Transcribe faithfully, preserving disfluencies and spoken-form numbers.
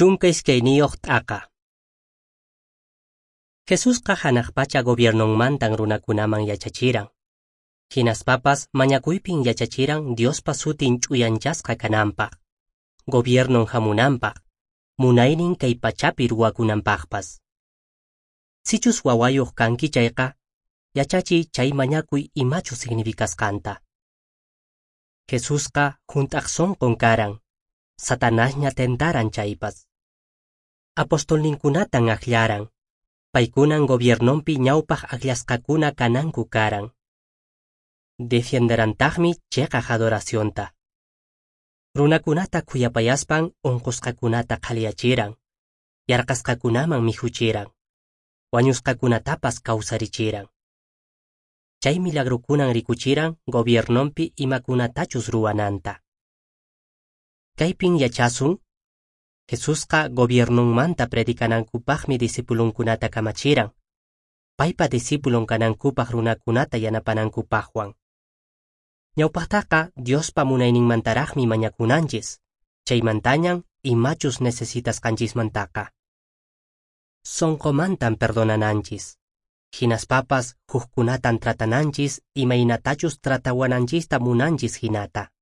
Chunka iskayniyuq t'aqa. Jesusqa hanaq pacha gobiernonmantan runakunaman yachachiran. Hinaspapas mañakuypin yachachiran Diospa sutin ch'uyanchasqa kananpaq, gobiernon hamunanpaq, munaynin kay pachapi ruwakunanpaqpas. Sichus wawayuq kanki chayqa, yachachiy chay mañakuy imachus significasqanta. Jesusqa hunt'aq sunqun karan, Satanasña tentaran chaypas. Apostolninkunatan akllaran, paykunan gobiernonpi ñawpaq akllasqakuna kananku karan. Defienderantaqmi cheqaq adoracionta. Runakunata khuyapayaspan unqusqakunata qhaliyachiran, yarqasqakunaman mikhuchiran, wañusqakunatapas kawsarichiran. Chay milagrukunan rikuchiran gobiernonpi imakunatachus ruwananta. Kaypin yachasun, Jesusqa gobiernonmanta predicanankupaqmi discipulunkunata kamachiran, paypa discipulon kanankupaq runakunata yanapanankupaqwan. Ñawpaqtaqa Diospa munayninmantaraqmi mañakunanchis, chaymantañan imachus necesitasqanchismantaqa. Sonqomantan perdonananchis, hinaspapas hukkunatan tratananchis imaynatachus tratawananchista munanchis hinata.